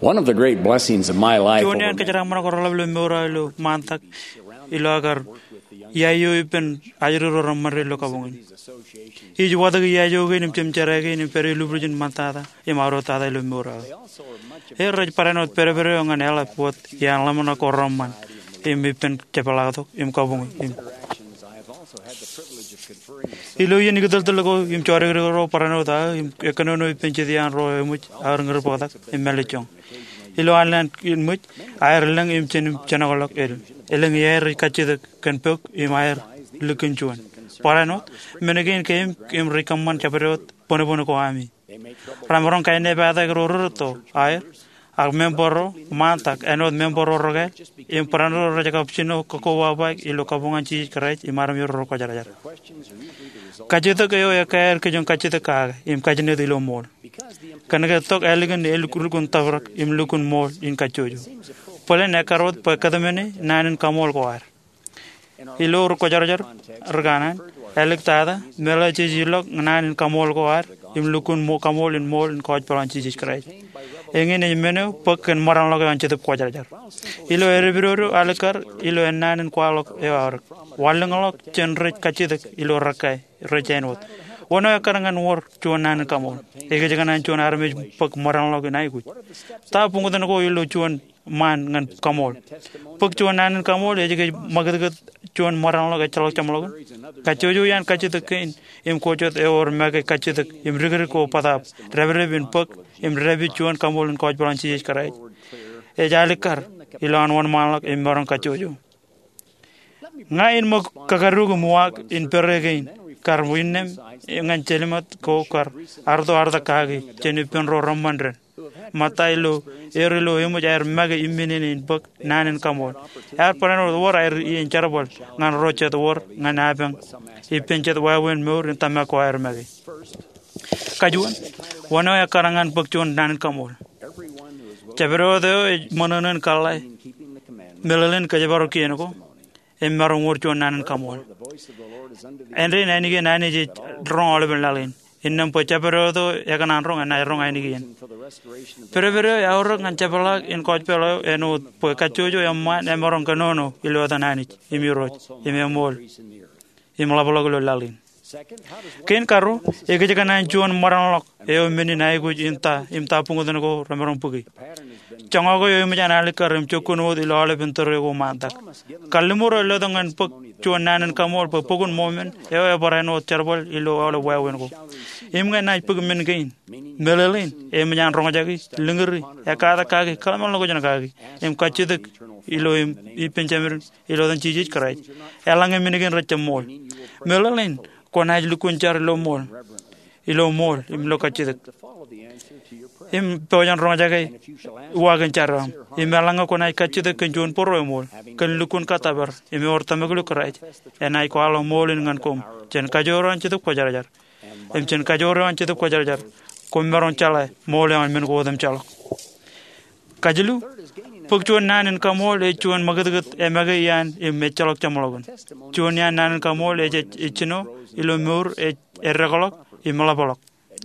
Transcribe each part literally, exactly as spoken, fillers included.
One of the great blessings of my life Juon iaan kōjeraaṃṃan ko reḷap ilo mour eo ilo ṃaantak ilo aō kar iiō ippān ajri ro reṃṃan ilo kabuñ in. Ij watōk iiō kein im jemjerā kein im pād ilubwiljin ṃaantata im aorōktata ilo mour eo aō. Ej rej barāinwōt pedped eo ñan eḷap wōt iaan ḷōmṇak ko reṃṃan im ippān jepḷaaktok im kabuñ in. Ilo iien ikōtōltōl ko im jodikdik ro barāinwōt aō im ekkōnono ippān jet iaan ro eṃōj aō ri ñūr bōktak im mālejjoñ. Ilo an lowaan ṃōj, aer lōñ im jen im jenokḷọk el. Elōñ iaer rej kajjitōk kōn bōk im aer likin juon. Barāinwōt, men kein keememej im rej kōṃṃan jabdewōt bōnbōn ko ami. Remaroñ kaenepata ro rūtto, aer, ak member ro ṃaantak, āinwōt member ro rekāāl, im barāinwōt rej kab jino kakkobaba ilo kabuñ an Jisōs Kraist im armej ro rekwōjarjar. Kajjitōk eo ekkā aer kijoñ kajjitōk kake im kajjitōk ilo ṃool. Kōnke tok ālikin elukkuun tōprak im lukkuun ṃool in kajjojo. Bōlen ekkar wōt bwe kōtmāne naan in kaṃool ko ad. Ilo ri kwōjarjar ri kanaan, āliktata, meḷeḷe jej ilọk naan in kaṃool ko ad im lukkuun kaṃool in ṃool in kōjpeḷ an Jisōs Kraist. Eñin ej men eo bōk kōn ṃōrañḷọk eo an Jetōb Kwōjarjar. Ilo edepidodo alikkar ilo ennaan in kwaḷọk eo aorōk, wanlōñḷọk jān rej kajjitōk ilo rekāāl rej āinwōt. Wōn eo ekkar ñan wōr juon naan in kaṃool? Ekōjkan an juon armej bōk ṃōrañḷọk in aikuj. Ta buñtōn ko ilo juon ṃaan ñan kaṃool? Bōk juon naan in kaṃool ej kōj ṃakūtkūt juon ṃōrañḷọk ejjeḷọk jeṃḷọkin. Kajjojo iaan kajjitōk kein im ko jet ewōr make kajjitōk im dikdik ko bōtaab dāpdep in bōk im dāpij juon kaṃool in kōjpeḷ an Jisōs Kraist. Ej alikkar ilowaan wōnṃaanḷọk im maroñ kajjojo. Ña in ṃōk kakaduk im uwaak in pere kein kar innām ñan jelṃaat ko kar arto artak kaki jān ippān ro reṃṃan dān. Ṃōtta ilo, er ilo eṃōj aer make imminene in bōk naan in kaṃool. Ear barāinwōt wōr aer iien jerbal ñan ro jet wōr ñan apañ ippān jet wāween mour in tōmak ko aer make. Kajuon, wōn eo ekkar ñan bōk juon naan in kaṃool? Jabdewōt eo ej ṃōṇōṇō in kōḷḷā meḷeḷein kōjparok kien ko im maroñ wōr juon naan in kaṃool. Āindein ainikien Anij ej roñ aolepen laḷ in. Innām bwe jabdewōt eo ekōṇaan roñ enaaj roñ ainikien. Pedped eo eaorōk ñan jepḷaak in kōjpeḷ eo āinwōt bwe kajjojo eṃṃaan emaroñ kōnono ilo etan Anij im Irooj im eṃool im ḷapḷọk ilo laḷ in. Kein karuo, ekōjkan an juon ṃōrañḷọk eo men in aikuj in ta im ta buñtōn ko remaroñ bōki. Joñak eo eṃōj an alikkar im jokkuun wōt ilo aolepen tōre ko ṃaantak. Kalliṃur eo letok ñan bōk juon naan in kaṃool bwe Bok in Mōmon eo ebarāinwōt jerbal ilo aolep wāween ko. Im ñe enaaj bōk men kein, meḷeḷein eṃōj an roñjaki, lōñri, ekkatak kaki, kōḷmānḷọkjeṇ kaki im kajjitōk ilo im ippān Jemān ilo etan Jisōs Kraist, eḷaññe men kein rej jab ṃool. Meḷeḷein kwōnaaj lukkuun jar ilo ṃool, ilo ṃool im ilo kajjitōk im pojak in roñjake uwaak in jar eo aṃ. Im eḷaññe kwōnaaj kajjitōk kōn juon bōro eṃool, kōn lukkuun kōttōpar im ewōr tōmak ilo Kraist, enaaj kwaḷọk ṃool in ñan koṃ jān kajoor eo an Jetōb Kwōjarjar. Im jān kajoor eo an Jetōb Kwōjarjar koṃ maroñ jeḷā ṃool eo an men ko otemjeḷọk. Kajilu, bōk juon naan in kaṃool ej juon ṃakūtkūt emake iaan im ejjeḷọk jeṃḷọkin. Juon iaan naan in kaṃool ej ej ej jino ilo mour ej eddekḷọk im ḷapḷọk.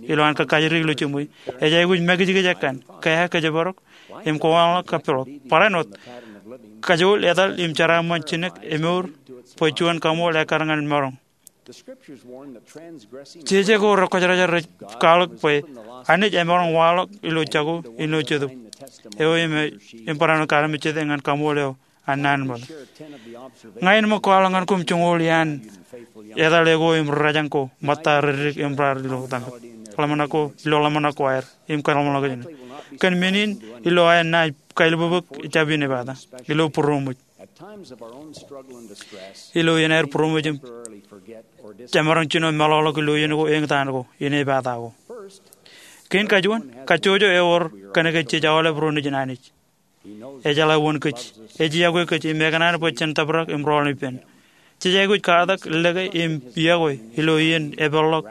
Ilowaan kōkajdik ilo jiṃwe, ej aikuj makijkij ekkan, kea kōjparok im kōwōnḷọk kappilọk. Barāinwōt, kajool etal im jeraaṃṃan jinek emour bwe juon kaṃool ekkar ñan maroñ. Jeje ko rekwōjarjar rej kwaḷọk bwe Anij emaroñ waḷọk ilo jako ilo Jetōb eo im, im barāinwōt armej jete ñan kaṃool eo an naan in ṃōttan. Ña in ṃōk kwaḷọk ñan koṃ joñoul iaan etal eo ko im ri rajañ ko ṃōtta rej dik im raar ilo tōmak, ḷōmṇak ko, ilo ḷōmṇak ko aer im kōḷmānḷọkjeṇ. Kōn men in, ilo aer naaj kailbōbōk jab inepata ilo būroṃōj. Ilo iien aer būroṃōj im jemaroñ jino meḷọkḷọk ilo iien ko, eñtaan ko, inepata ko. Kein kajuon, kajjojo ewōr kōnke jej aolep ro nejin Anij. Ejeḷā wōn kōj. Ej yokwe kōj im ekōṇaan bwe jen tōprak im rọọl ippān. Jej aikuj katak, lōke im yokwe ilo iien epeḷḷọk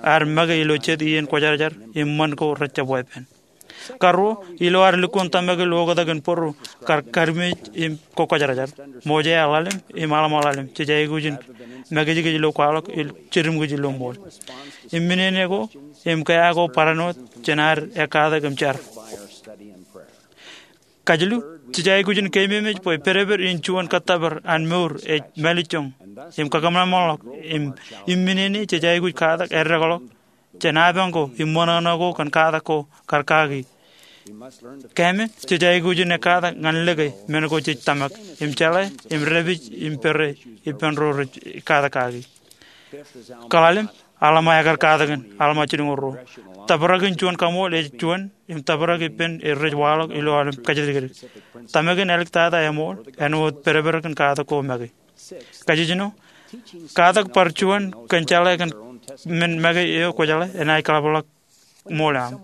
ad make ilo jet iien kwōjarjar im ṃan ko rejjab weeppān. Karuo, ilo ad lukkuun tōmak ilo oktak in bōro kar kadiṃe im kokwōjarjar, ṃoje aer ḷalem im aḷ ṃōḷ ḷalem, jej aikuj in makijkij ilo kwaḷọk im jediṃ kōj ilo ṃool. Im men in ko im kea ko barāinwōt jān ad ekkatak im jar. Kajilu, jej aikuj in keememej bwe pedped in juon kōttōpar an mour ej mālejjoñ im kakōṃanṃanḷọk. Im, im men eo jej aikuj katak eddekḷọk jān apañ ko im ṃōṇōṇō ko kōn katak ko kar kaki. Kōmij, jej aikuj in katak ñan lōke men ko jej tōmak im jeḷā im dāpij im pere ippān ro rej katak kaki. Kaḷalem, aḷ eo ekar katakin, aḷ eo jilñuul ruo. Tōprak in juon kaṃool ej juon im tōprak ippān eo rej waḷọk ilo aolep kōjatdikdik. Tōmak in āliktata eṃool āinwōt pedped kōn katak ko make. Kajjino, katak bar juon kōn jeḷā kōn men make eo kwōjeḷā enaaj kaḷapḷọk ṃool eo aṃ.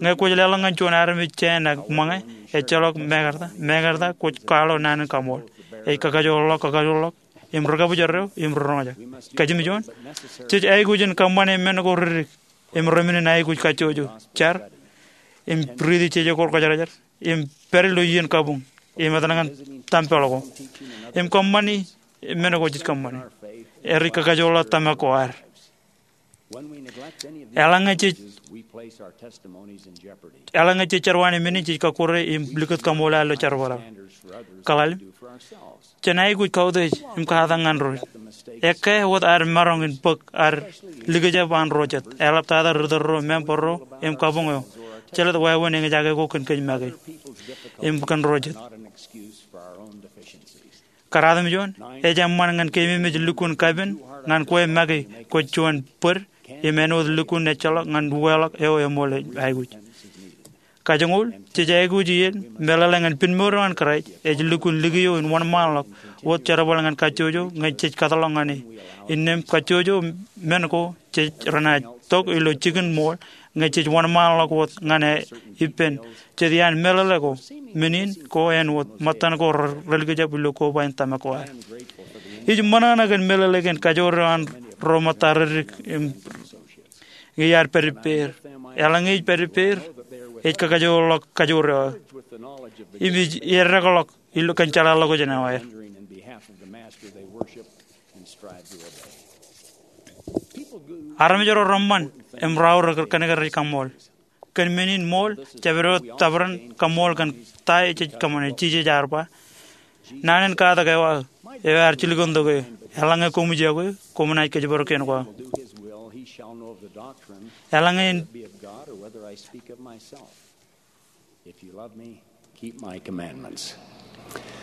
Ñe kwōj leḷọk ñan juon armej jāān ak ṃōñā, ejjeḷọk mekarta, mekarta kwōj kwaḷọk naan in kaṃool. Ej kakajoorḷọk, kakajoorḷọk im ri kabōjrak eo im ri roñjake. Kajjimjuon, jej aikuj in kōṃṃane men ko ridik im remennin aikuj kajjojo, jar, im riiti jejekor kwōjarjar, im pād ilo iien kabuñ im etal ñan tempel ko im kōṃṃani men ko jej kōṃṃani. Ej kakajoorḷọk tōmak ko ad. Eḷaññe jej, eḷaññe jej jerwānōk men in, jej kọkkure im likūt kaṃool ad ilo jerbal eo. Kaḷalem, jen aikuj kautiej im katak ñan ro. Ekkā wōt ad maroñ in bōk ad likjab an ro jet, eḷaptata ri tōl ro, member ro im kabuñ eo. Jelōt wāween eñjake ko kōn kōj make im kōn ro jet. Kōrā im juon, ej eṃṃan ñan keememej lukkuun kapen ñan kwe make kwōj juon bōd im āinwōt lukkuun ejjeḷọk ñan uweḷọk eo eṃool aikuj. Kajoñoul, jej aikuj iien meḷeḷe ñan pinmour eo an Kraist ej lukkuun likio in wōnṃaanḷọk wōt jerbal ñan kajjojo ñe jej kōtḷọk ñan e. Innām kajjojo men ko jej renaaj tok ilo jikin ṃool ñe jej wōnṃaanḷọk wōt ñan e ippān jet iaan meḷeḷe ko. Men in ko āinwōt ṃōttan ko relikjab ilo koba in tōmak ko ad. Ij ṃōṇōṇō kōn meḷeḷe kōn kajoor eo an ro ṃōtta reddik im ñe iar pād ippāer. Eḷaññe ij pād ippāer, ej kakajoorḷọk kajoor eo aō im ij eddekḷọk ilo kōn jeḷāḷọkjeṇ eo aer. Armej ro reṃṃan im raorōk kōnke rej kaṃṃool. Kōn men in ṃool, jabdewōt tōprak in kaṃṃool kōn ta eo jej kōṃṃane. Jisōs ear ba, naan in katak eo aō, eo ear jilkintok eō. Eḷaññe koṃij yokwe, koṃ naaj kōjparok kien ko aō. Eḷaññe in If you love me, keep my commandments.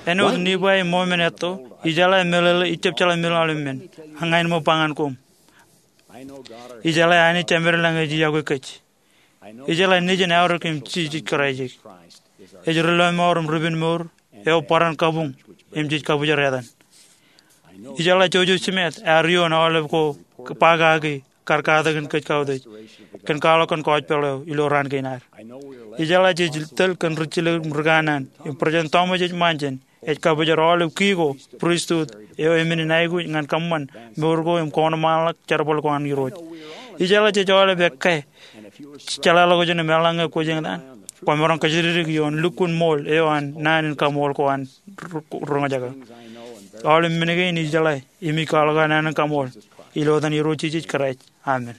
Āinwōt Nifai im Mōmen etto, ijeḷā meḷeḷe, ij jab jeḷā meḷeḷe men, ak ña āinwōt ba ñan koṃ. Ijeḷā Anij Jemedlañ ej yokwe kōj. Ijeḷā Nejin eaorōk im Jisōs Kraist. Ej ri lọmọọr im ri pinmour eo bōran kabuñ im jej kabōjrak etan. Ijeḷā Joseph Smith ear ioon aolep ko ba kaki kar katakin kōj kautiej kōn kwaḷọk kōn gospel eo ilo raan kein ad. Ijeḷā jej tōl kōn ri jilōk im ri kanaan im President Thomas S. Monson ej kabōjrak aolep ki ko, pristut eo emennin aikuj ñan kōṃṃan mour ko im kōṇōṇōṃanḷọk jerbal ko an Irooj. Ijeḷā jej aolep ekkā jeḷāḷọkjeṇ im eḷaññe kwōj eñtaan, kwōmaroñ kōjatdikdik ioon lukkuun ṃool eo an naan in kaṃool ko an ri roñjake. Aolep men kein ijeḷā im ij kwaḷọk aō naan in kaṃool ilo etan Irooj Jisōs Kraist. Amen.